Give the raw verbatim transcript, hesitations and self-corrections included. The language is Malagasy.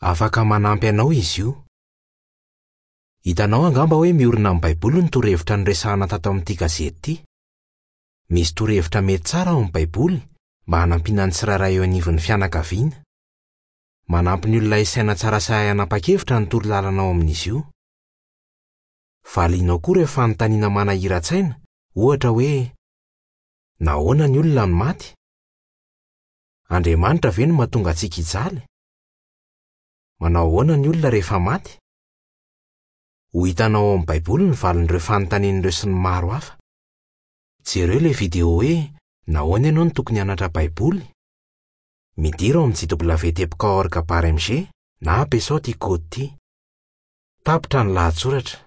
Afaka manampy anao izy io. Hitanao angamba hoe miorina amin'ny Baiboly ny torohevitra noresahina tato amin'ity gazety ity. Misy torohevitra mety tsara ao amin'ny Baiboly mba hanampiana ny tsirairay eo anivon'ny fianakaviana. Manampy ny olona hisaina tsara sy hahay hanapa-kevitra ny torolalana ao amin'izy io. Valianao koa ireo fanontaniana manahiran-tsaina, ohatra hoe: Nahoana ny olona no maty? Andriamanitra ve no mahatonga antsika hijaly? Manao ahoana ny olona rehefa maty? Ho hitanao ao amin'ny Baiboly ny valin'ireo fanontaniana ireo sy ny maro hafa. Jereo ilay video hoe Nahoana ianao no tokony hianatra Baiboly? Midira ao amin'ny J W teboka org barre M G na ampiasao ity kaody ity. Tapitra ny lahatsoratra.